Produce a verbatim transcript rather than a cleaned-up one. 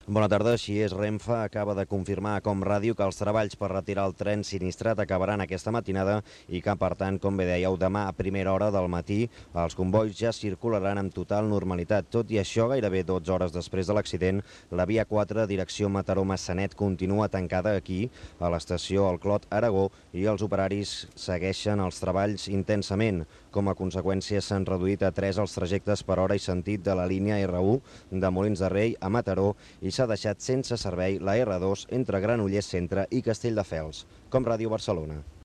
Bona tarda. Així és, Renfe acaba de confirmar a Com Ràdio que els treballs per retirar el tren sinistrat acabaran aquesta matinada i que, per tant, com bé dèieu, demà a primera hora del matí els combois ja circularan amb total normalitat. Tot i això, gairebé dotze hores després de l'accident, la via quatre, direcció Mataró-Massanet, continua tancada aquí, a l'estació El Clot, Aragó, i els operaris segueixen els treballs intensament. Com a conseqüència, s'han reduït a tres els trajectes per hora i sentit de la línia erre u de Molins de Rei a Mataró i s'ha deixat sense servei la erre dos entre Granollers Centre i Castelldefels. Com Ràdio Barcelona.